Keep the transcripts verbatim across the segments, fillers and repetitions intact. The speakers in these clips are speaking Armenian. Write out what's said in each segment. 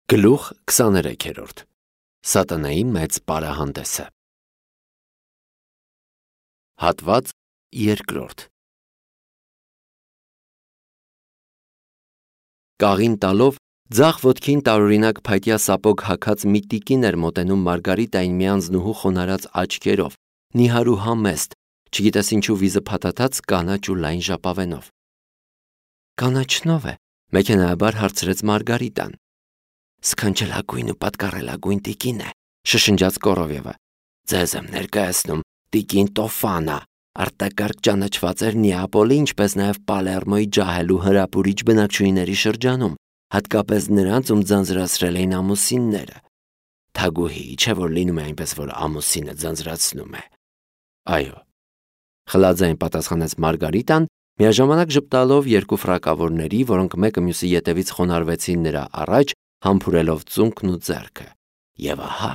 Գլուխ քսաներեքերորդ Սատանայի մեծ պարահանդեսը Հատված երկրորդ Կաղին տալով ձախ ոտքին տարօրինակ փայտյա սապոգ հագած մի տիկին էր մոտենում Մարգարիտային մի անձնուհու խոնարհած աչքերով, նիհար ու համեստ, չգիտես ինչու վիզը փաթաթած կանաչ ու լայն ժապավենով։ Կանաչնով է, մեքենայաբար հարցրեց Մարգարիտան։ Սքանչելագույն ու պատկառելագույն տիկին է, շշնջաց Կորովևը։ Ձեզ եմ ներկայացնում տիկին Տոֆանա, արտակարգ ճանաչված էր Նեապոլի, ինչպես նաև Պալերմոյի ջահել ու հրապուրիչ բնակչուհիների շրջանում, հատկապես նրանց, ում ձանձրացրել էին ամուսինները։ Թագուհի, չէ՞ որ լինում է այնպես, որ ամուսինը ձանձրացնում է։ Այո, խլաձայն պատասխանեց Մարգարիտան, միաժամանակ ժպտալով երկու ֆրակավորների, որոնք մեկը մյուսի ետևից խոնարհվեցին նրա առաջ, համբուրելով ծունկն ու ձեռքը։ Եվ ահա,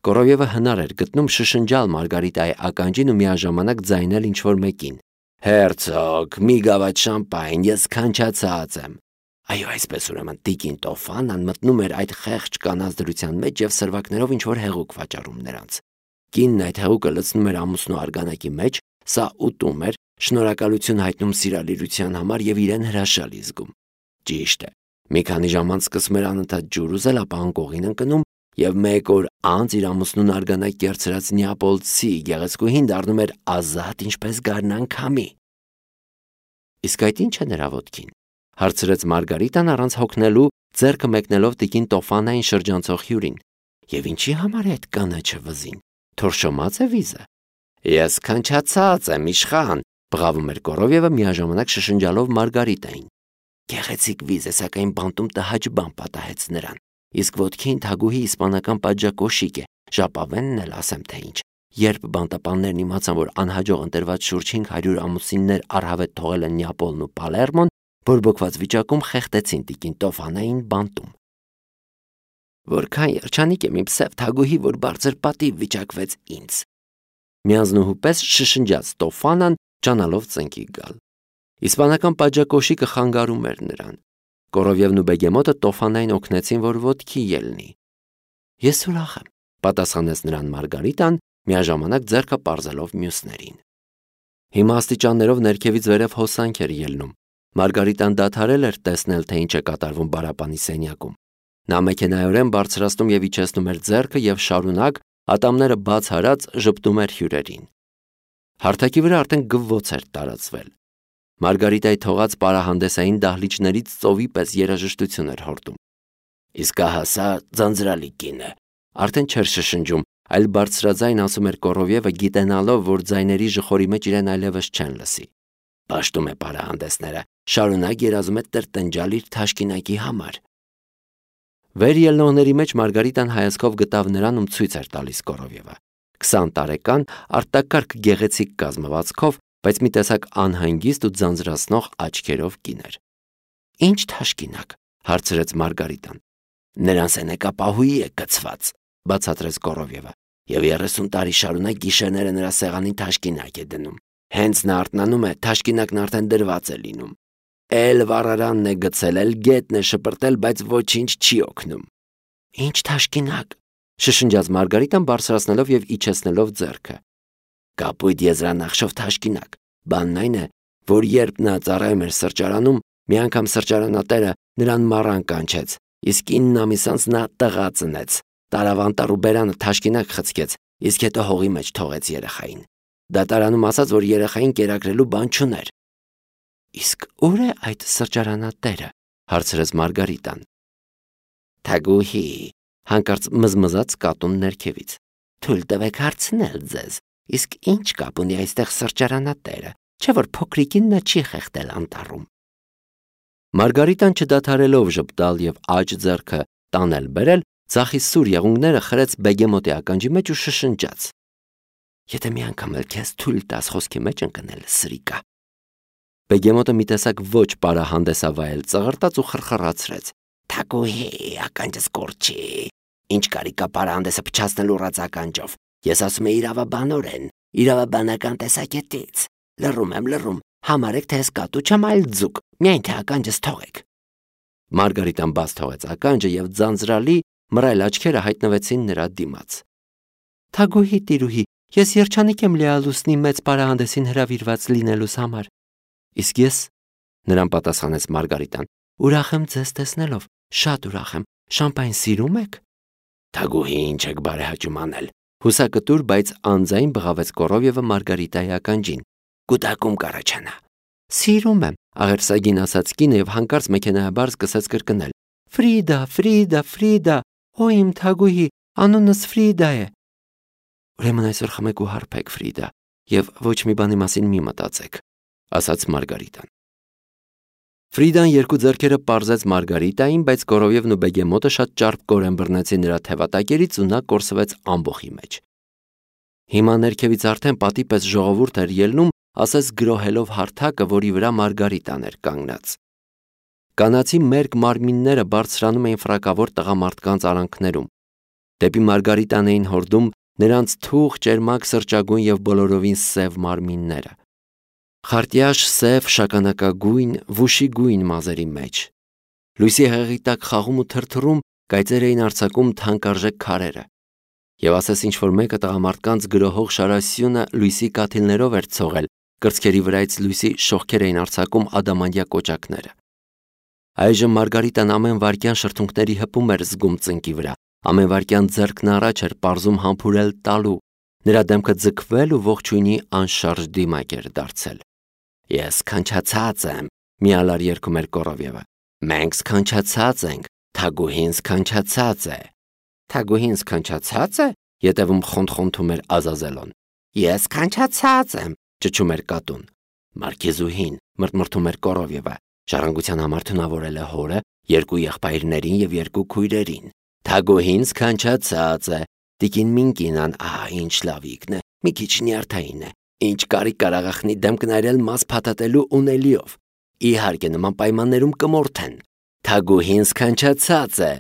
Կորովևը հնար էր գտնում շշնջալ Մարգարիտայի ականջին ու միաժամանակ ձայնել ինչ-որ մեկին. Հերցոգ, մի գավաթ շամպայն, ես քանչացած եմ։ Այո, այսպես ուրեմն տիկին Տոֆանան մտնում էր այդ խեղճ կանանց դրության մեջ եւ սրվակներով ինչ-որ հեղուկ վաճառում նրանց։ Կինն այդ հեղուկը լցնում էր ամուսնու արգանակի մեջ, սա ուտում էր, շնորհակալություն հայտնում սիրալիրության համար եւ իրեն հրաշալի զգում։ Ճիշտ է։ Մի քանի ժամ անց սկսում էր անընդհատ ջուր ուզել, ապա անկողին ընկնում եւ մեկ օր անց իր ամուսնուն արգանակ կերցրած Նեապոլցի գեղեցկուհին դառնում էր ազատ, ինչպես գարնան քամի։ Իսկ այդ ի՞նչ է նրա ոտքին, հարցրեց Մարգարիտան առանց հոգնելու, ձեռքը մեկնելով տիկին Տոֆանային շրջանցող հյուրին։ Եվ ինչի համար է այդ կանաչը վզին, թորշոմած է վիզը։ Ես քանչացած եմ, իշխան, բղավում էր Կորովևը միաժամանակ շշնջալով Մարգարիտային։ Գեղեցիկ վիզ է, սակայն բանտում տհաճ բան պատահեց նրան։ Իսկ ոտքին թագուհի իսպանական պատժակոշիկ է, ժապավենն էլ ասեմ թե ինչ։ Երբ բանտապաններն իմացան, որ անհաջող ընտրված շուրջ հինգ հարյուր ամուսիններ առհավետ թողել են Նեապոլն ու Պալերմոն, բորբոքված վիճակում խեղդեցին տիկին Տոֆանային բանտում։ Որքան երջանիկ է մի պսև թագուհի, որ բարձր պատիվ վիճակվեց ինձ։ Միանձնուհու պես շշնջաց Տոֆանան, ճանալով ծնկի գալ։ Իսպանական պատժակոշիկը խանգարում էր նրան։ Կորովևն ու Բեգեմոտը Տոֆանային օգնեցին, որ ոտքի ելնի։ Ես ուրախ եմ, պատասխանեց նրան Մարգարիտան, միաժամանակ ձեռքը պարզելով մյուսներին։ Հիմա աստիճաններով ներքևից վերև հոսանք էր ելնում։ Մարգարիտան դադարել էր տեսնել, թե ինչ է կատարվում բարապանի սենյակում։ Նա մեքենայորեն բարձրացնում եւ իջեցնում էր ձեռքը եւ շարունակ, ատամները բաց հարած, ժպտում էր հյուրերին։ Հարթակի վրա արդեն գվվոց էր տարածվել։ Մարգարիտայի թողած պարահանդեսային դահլիճներից ծովի պես երաժշտություն էր հորդում։ Իսկ ահա սա ձանձրալի կին է, արդեն չէր շշնջում, այլ բարձրաձայն ասում էր Կորովևը, գիտենալով, որ ձայների ժխորի մեջ իրեն այլևս չեն լսի։ Պաշտում է պարահանդեսները, շարունակ երազում է տրտնջալ իր թաշկինակի համար։ Վեր ելնողների մեջ Մարգարիտան հայացքով գտավ նրան, ում ցույց էր տալիս Կորովևը։ Քսան տարեկան, արտակարգ գեղեցիկ կազմվածքով, բայց մի տեսակ անհանգիստ ու ձանձրացնող աչքերով կին էր։ Ինչ թաշկինակ, հարցրեց Մարգարիտան։ Նրան սենեկապահուի է գցված, բացատրեց Կորովևը, եւ երեսուն տարի շարունակ գիշերները նրա սեղանին թաշկինակ է դնում։ Հենց նա արթնանում է, թաշկինակն արդեն դրված է լինում։ Էլ վառարանն է գցել, էլ գետն է շպրտել, բայց ոչինչ չի օգնում։ Ինչ թաշկինակ, շշնջաց Մարգարիտան բարձրացնելով եւ իջեցնելով ձեռքը։ Կապույտ եզրանախշով թաշկինակ։ Բանն այն է, որ երբ նա ծառայում էր սրճարանում, մի անգամ սրճարանատերը նրան մառան կանչեց, իսկ ինն ամիս անց նա տղա ծնեց։ Տարավ անտառ ու բերանը թաշկինակ խցկեց, իսկ հետո հողի մեջ թողեց երեխային։ Դատարանում ասաց, որ երեխային կերակրելու բան չուներ։ Իսկ ո՞ւր է այդ սրճարանատերը, հարցրեց Մարգարիտան։ Թագուհի, հանկարծ մզմզաց կատուն ներքևից։ Թույլ տվեք հարցնել ձեզ, իսկ ինչ կապ ունի այստեղ սրճարանատերը, չէ՞ որ փոքրիկին նա չի խեղդել անտառում։ Մարգարիտան չդադարելով ժպտալ եւ աջ ձեռքը տանել բերել, ձախի սուր եղունգները խրեց Բեգեմոտի ականջի մեջ ու շշնջաց. Եթե մի անգամ էլ քեզ թույլ տաս խոսքի մեջ ընկնել, սրիկա։ Բեգեմոտը մի տեսակ ոչ պարահանդեսավայել ծղրտաց ու խրխռացրեց. Թագուհի, ականջս կորչի։ Ինչ կարի կա պարահանդեսը փչացնելու ռած ականջով։ Ես ասում եմ իրավաբանորեն, իրավաբանական տեսակետից։ Լռում եմ, լռում, համարեք, թե ես կատու չեմ, այլ ձուկ, միայն թե ականջս թողեք։ Մարգարիտան բաց թողեց ականջը եւ ձանձրալի մռայլ աչքերը հայտնվեցին նրա դիմաց։ Թագուհի տիրուհի, ես երջանիկ եմ լիալուսնի մեծ պարահանդեսին հրավիրված լինելուս համար։ Իսկ ես, նրան պատասխանեց Մարգարիտան, ուրախ եմ ձեզ տեսնելով, շատ ուրախ եմ, շամպայն սիրում եք։ Թագուհի, ինչ եք բարեհաճում անել, հուսակտուր, բայց անձայն բղավեց Կորովյևը Մարգարիտայի ականջին։ Կուտակում կառաջանա։ Սիրում եմ, աղերսագին ասաց կինը եւ հանկարծ մեքենայաբար սկսեց կրկնել. Ֆրիդա, Ֆրիդա, Ֆրիդա, օ իմ թագուհի, անունս Ֆրիդա է։ Ուրեմն այսօր խմեք ու հարբեք, Ֆրիդա, եւ ոչ մի բանի մասին մի մտածեք, ասաց Մարգարիտան։ Ֆրիդան երկու ձեռքերը պարզեց Մարգարիտային, բայց Կորովյևն ու Բեգեմոտը շատ ճարպկորեն բռնեցին նրա թևատակերից ու նա կորսվեց ամբոխի մեջ։ Հիմա ներքևից արդեն պատի պես ժողովուրդ էր ելնում, ասես գրոհելով հարթակը, որի վրա Մարգարիտան էր կանգնած։ Կանացի մերկ մարմինները բարձրանում էին ֆրակավոր տղամարդկանց արանքներում։ Դեպի Մարգարիտան էին հորդում նրանց թուղ, ճերմակ, սրճագույն եւ բոլորովին սև մարմինները։ Խարտյաշ, սև, շագանակագույն, վուշիգույն մազերի մեջ։ Լույսի հեղի տակ խաղում ու թրթռում կայծեր էին արձակում թանկարժեք քարերը։ Եվ ասես ինչ-որ մեկը տղամարդկանց գրոհող շարասյունը լույսի կաթիլներով էր ցողել, կրծքերի վրայից լույսի շողքեր էին արձակում ադամանդյա կոճակները։ Այժմ Մարգարիտան ամեն վայրկյան շրթունքների հպում էր զգում ծնկի վրա, ամեն վայրկյան ձեռքն առաջ էր պարզում համբուրել տալու, նրա դեմքը ձգվել ու ողջույնի անշարժ դիմակ էր դարձել։ Ես քանչացած եմ, միալար երգում էր Կորովյևը։ Մենք քանչացած ենք, թագուհին քանչացած է։ Թագուհին քանչացած է, ետևում խոնթ-խոնթում էր Ազազելոն։ Ես քանչացած եմ, ճչում էր կատուն։ Մարքիզուհին մրթմրթում էր Կորովյևը, ժառանգության համար թունավորել է հորը, երկու եղբայրներին եւ երկու քույրերին։ Թագուհին քանչացած է, տիկին Մինկինան, ահա ինչ լավիկն է, մի քիչ նյարդային է, ինչ կարիք կար աղախնի դեմ կնայրել մաս փաթաթելու ունելիով։ Իհարկե նման պայմաններում կմորթեն։ Թագուհին քանչացած է։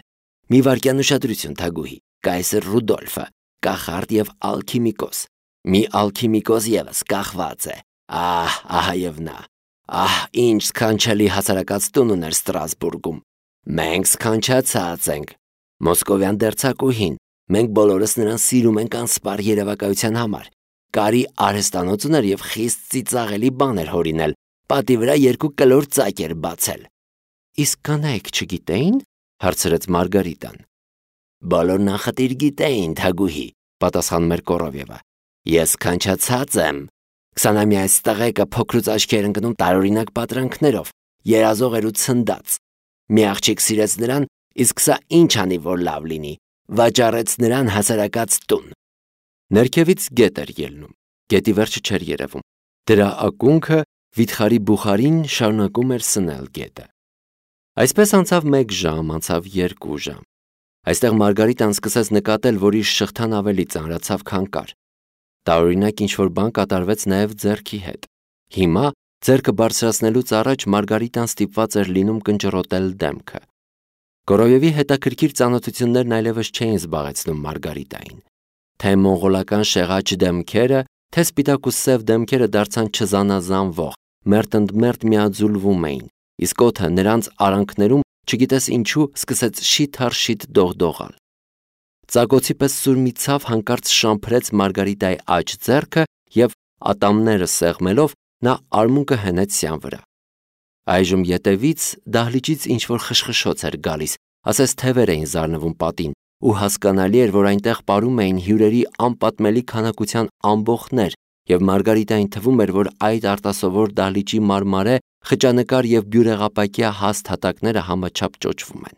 Մի վարքյան ուշադրություն, թագուհի, կայսր Ռուդոլֆը, կախարդ եւ ալքիմիկոս։ Մի ալքիմիկոս եւս կախված է։ Ահ, ահա եւ նա։ Ահ, ինչ սքանչելի հասարակած տուն ուներ Ստրասբուրգում։ Մենք սքանչացած ենք։ Մոսկովյան դերձակուհին, մենք բոլորս նրան սիրում ենք անսպար երևակայության համար։ Կարի արհեստանոց ուներ եւ խիստ ծիծաղելի բան էր հորինել, պատի վրա երկու կլոր ծակ էր բացել։ Իսկ կանայք չգիտեին, հարցրեց Մարգարիտան։ Բոլորն անխտիր գիտեին, թագուհի, պատասխանում էր Կորովյևը։ Ես քանչացած եմ։ Քսանամյա այս տղեկը փոքրուց աչքի էր ընկնում տարօրինակ պատրանքներով, երազող էր ու ցնդած։ Մի աղջիկ սիրեց նրան, իսկ սա ինչ անի, որ լավ լինի, վաճառեց նրան հասարակած տուն։ Ներքևից գետ էր ելնում, գետի վերջը չէր երևում։ Դրա ակունքը վիթխարի բուխարին շարունակում էր սնել գետը։ Այսպես անցավ մեկ ժամ, անցավ երկու ժամ։ Այստեղ Մարգարիտան սկսեց նկատել, որ իր շղթան ավելի ծանրացավ, քան կար։ Տարօրինակ ինչ-որ բան կատարվեց նաև ձեռքի հետ։ Հիմա ձեռքը բարձրացնելուց առաջ Մարգարիտան ստիպված էր լինում կնճռոտել դեմքը։ Կորովյևի հետաքրքիր ծանոթություններն այլևս չէին զբաղեցնում Մարգարիտային։ Թե մոնղոլական շեղաճ դեմքերը, թե սպիտակ ու սև դեմքերը դարձան չզանազանվող, մերթընդմերթ միաձուլվում էին, իսկ օդը նրանց արանքներում չգիտես ինչու սկսեց շիթ-առ-շիթ դողդողալ։ Ծագոցի պես սուր մի ցավ հանկարծ շամփրեց Մարգարիտայի աջ ձեռքը եւ ատամները սեղմելով նա արմունկը հենեց սյան վրա։ Այժմ ետևից դահլիճից ինչ-որ խշխշոց էր գալիս, ասես թևեր էին զարնվում պատին, ու հասկանալի էր, որ այնտեղ պարում էին հյուրերի անպատմելի քանակության ամբոխներ, եւ Մարգարիտային թվում էր, որ այդ արտասովոր դահլիճի մարմարե, խճանկար եւ բյուրեղապակյա հաստ հատակները համաչափ ճոճվում են։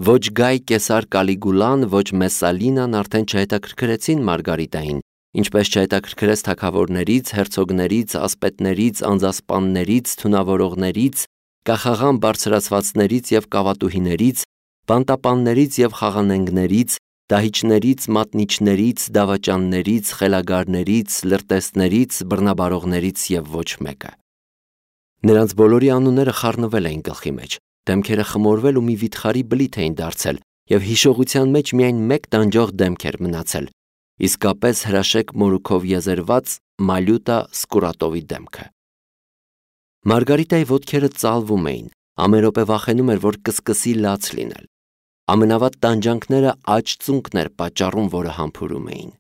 Ոչ Գայ Կեսար Կալիգուլան, ոչ Մեսսալինան արդեն չհետաքրքրեցին Մարգարիտային, ինչպես չհետաքրքրեց թագավորներից, հերցոգներից, ասպետներից, անձասպաններից, թունավորողներից, կախաղան բարձրացվածներից եւ կավատուհիներից, բանտապաններից եւ խաղանենգներից, դահիճներից, մատնիչներից, դավաճաններից, խելագարներից, լրտեսներից, բռնաբարողներից եւ ոչ մեկը։ Նրանց բոլորի անունները խառնվել էին գլխի մեջ, դեմքերը խմորվել ու մի վիթխարի բլիթ էին դարձել, եւ հիշողության մեջ միայն մեկ տանջող դեմք էր մնացել, իսկապես հրաշեկ մորուքով եզերված Մալյուտա Սկուրատովի դեմքը։ Մարգարիտայի ոտքերը ծալվում էին, ամեն վախենում էր, որ կսկսի լաց լինել։ Ամենավատ տանջանքները աջ ծունկն էր պատճառում, որը համբուրում էին։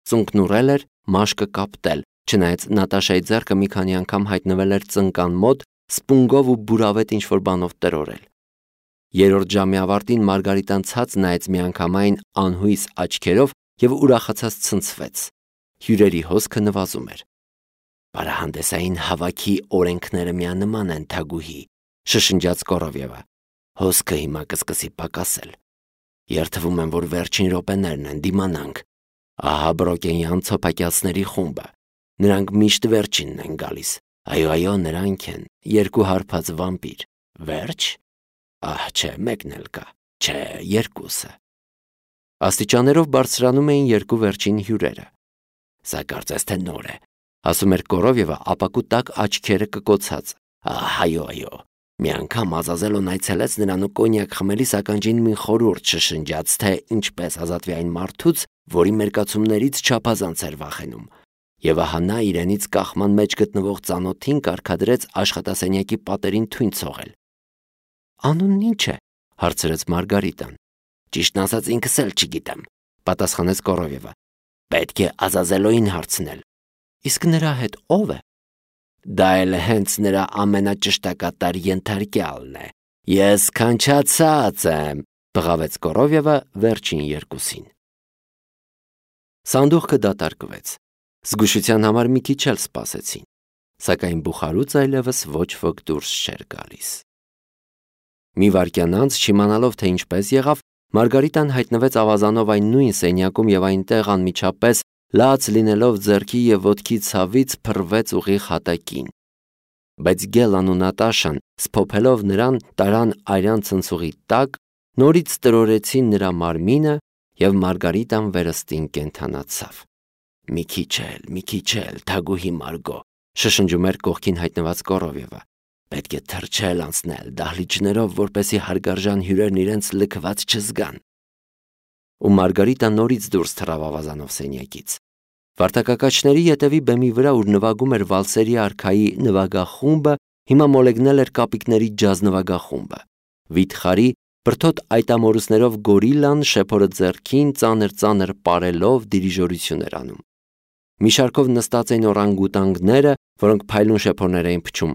Ծունկն ուռել էր, մաշկը կապտել, չնայած Նատաշայի ձեռքը մի քանի անգամ հայտնվել էր ծնկան մոտ, սպունգով ու բուրավետ ինչ-որ բանով տրորել։ Երրորդ ժամի ավարտին Մարգարիտան ցած նայեց միանգամայն անհույս աչքերով և ուրախացած ցնցվեց։ Հյուրերի հոսքը նվազում էր։ «Պարահանդեսային հավաքի օրենքները միանման են, Թագուհի», շշնջաց Կորովևը։ «Հոսքը հիմա կսկսի պակասել։ Երդվում եմ, որ վերջին րոպեներն են, դիմանանք։ Ահա Բրոկենյան ցոփակյացների խումբը։ Նրանք միշտ վերջինն են գալիս։ Այո, այո, նրանք են, երկու հարբած վամպիր։ Վերջ։ Ահ, չէ, մեկն էլ կա։ Չէ, երկուսը»։ Աստիճաններով բարձրանում էին երկու վերջին հյուրերը։ «Սա կարծես թե նոր է», ասում էր Կորովևը ապակու տակ աչքերը կկոցած։ «Ահ, այո, այո»։ Մի անգամ Ազազելոն այցելեց նրան ու կոնյակ խմելիս ականջին մի խորհուրդ շշնջաց, թե ինչպես ազատվի այն մարդուց, որի մերկացումներից չափազանց էր վախենում։ Եվ ահա նա իրենից կախման մեջ գտնվող ծանոթին կարգադրեց աշխատասենյակի պատերին թույն ցողել։ «Անունն ի՞նչ է», հարցրեց Մարգարիտան։ «Ճիշտն ասած ինքս էլ չգիտեմ», պատասխանեց Կորովևը։ «Պետք է Ազազելոյին հարցնել»։ «Իսկ նրա հետ ով է»։ «Դա էլ հենց նրա ամենաճշտակատար ենթարկյալն է։ Ես քանչացած եմ», բղավեց Կորովևը վերջին երկուսին։ Սանդուղքը դատարկվեց։ Զգուշության համար մի քիչ էլ սպասեցին, սակայն բուխարուց այլևս ոչ ոք դուրս չէր գալիս։ Մի վայրկյան անց, չիմանալով թե ինչպես եղավ, Մարգարիտան հայտնվեց ավազանով այն նույն սենյակում և այնտեղ անմիջապես լաց լինելով ձեռքի և ոտքի ցավից փռվեց ուղիղ հատակին։ Բայց Գելան ու Նատաշան, սփոփելով նրան, տարան արյան ցնցուղի տակ, նորից տրորեցին նրա մարմինը և Մարգարիտան վերստին կենդանացավ։ «Մի քիչ էլ, մի քիչ էլ, Թագուհի Մարգո», շշնջում էր կողքին հայտնված Կորովևը։ «Պետք է թրջել անցնել դահլիճներով, որպեսզի հարգարժան հյուրերն իրենց լքված չզգան»։ Ու Մարգարիտան նորից դուրս թռավ ավազանով սենյակից։ Վարդակակաչների ետևի բեմի վրա, ուր նվագում էր վալսերի արքայի նվագախումբը, հիմա մոլեգնել էր կապիկների ջազ նվագախումբը։ Վիթխարի բրդոտ այտամորուսներով գորիլլան շեփորը ձեռքին ծանր-ծանր պարելով դիրիժորություն էր անում։ Մի շարքով նստած էին օրանգուտանգները, որոնք փայլուն շեփորներ էին փչում։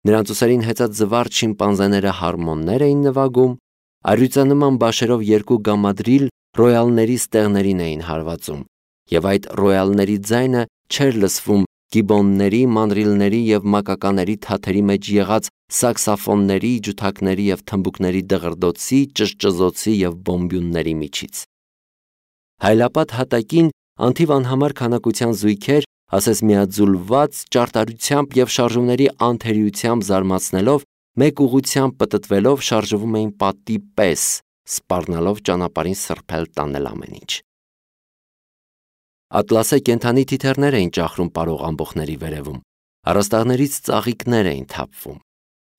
Նրանց ուսերին հեծած զվարթ շիմպանզեները հարմոններ էին նվագում, առյուծանման բաշերով երկու գամադրիլ ռոյալների ստեղներին էին հարվածում, և այդ ռոյալների ձայնը չէր լսվում գիբոնների, մանրիլների և մակակաների թաթերի մեջ եղած սաքսաֆոնների, ջութակների և թմբուկների դղրդոցի, ճզճզոցի և բոմբյունների միջից։ Հայլապատ հատակին անթիվ անհամար քանակության զույգեր, ասես միաձուլված ճարտարությամբ և շարժումների անթերիությամբ զարմացնելով, մեկ ուղղությամբ պտտվելով շարժվում էին պատի պես, սպառնալով ճանապարհին սրբել տանել ամեն ինչ։ Ատլասե կենդանի թիթեռներ էին ճախրում պարող ամբոխների վերևում, առաստաղներից ծաղիկներ էին թափվում։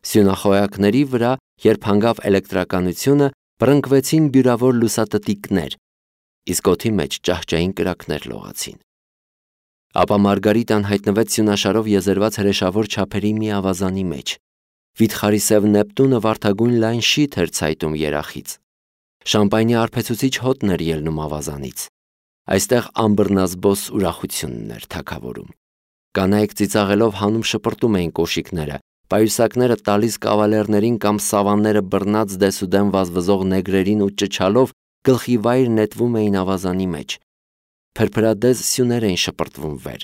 Սյունախոյակների վրա, երբ հանգավ էլեկտրականությունը, բռնկվեցին բյուրավոր լուսատտիկներ, իսկ օդի մեջ ճահճային կրակներ լողացին։ Ապա Մարգարիտան հայտնվեց սյունաշարով եզերված հրեշավոր չափերի մի ավազանի մեջ։ Վիթխարի սև Նեպտունը վարդագույն լայն շիթ էր ցայտում երախից։ Շամպայնի արբեցուցիչ հոտն էր ելնում ավազանից։ Այստեղ անբռնազբոս ուրախությունն էր թագավորում։ Կանայք ծիծաղելով հանում շպրտում էին կոշիկները, պայուսակները տալիս կավալերներին կամ սավանները բռնած դեսուդեն վազվզող նեգրերին ու ճչալով գլխիվայր նետվում էին ավազանի մեջ։ Փրփրադեզ սյուներ էին շպրտվում վեր։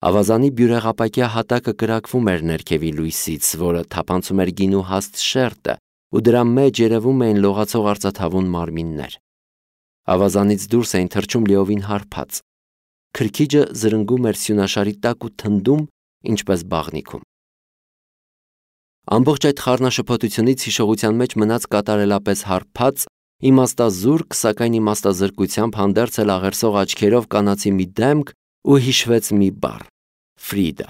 Ավազանի բյուրեղապակյա հատակը կրակվում էր ներքևի լույսից, որը թափանցում էր գինու հաստ շերտը, ու դրա մեջ երևում էին լողացող արծաթավուն մարմիններ։ Ավազանից դուրս էին թռչում լիովին հարբած։ Քրքիջը զրնգում էր սյունաշարի տակ ու թնդում, ինչպես բաղնիքում։ Ամբողջ այդ խառնաշփոթությունից հիշողության մեջ մնաց կատարելապես հարբած, իմաստազուրկ, սակայն իմաստազրկությամբ հանդերձ էլ աղերսող աչքերով կանացի մի դեմք ու հիշվեց մի բառ՝ Ֆրիդա։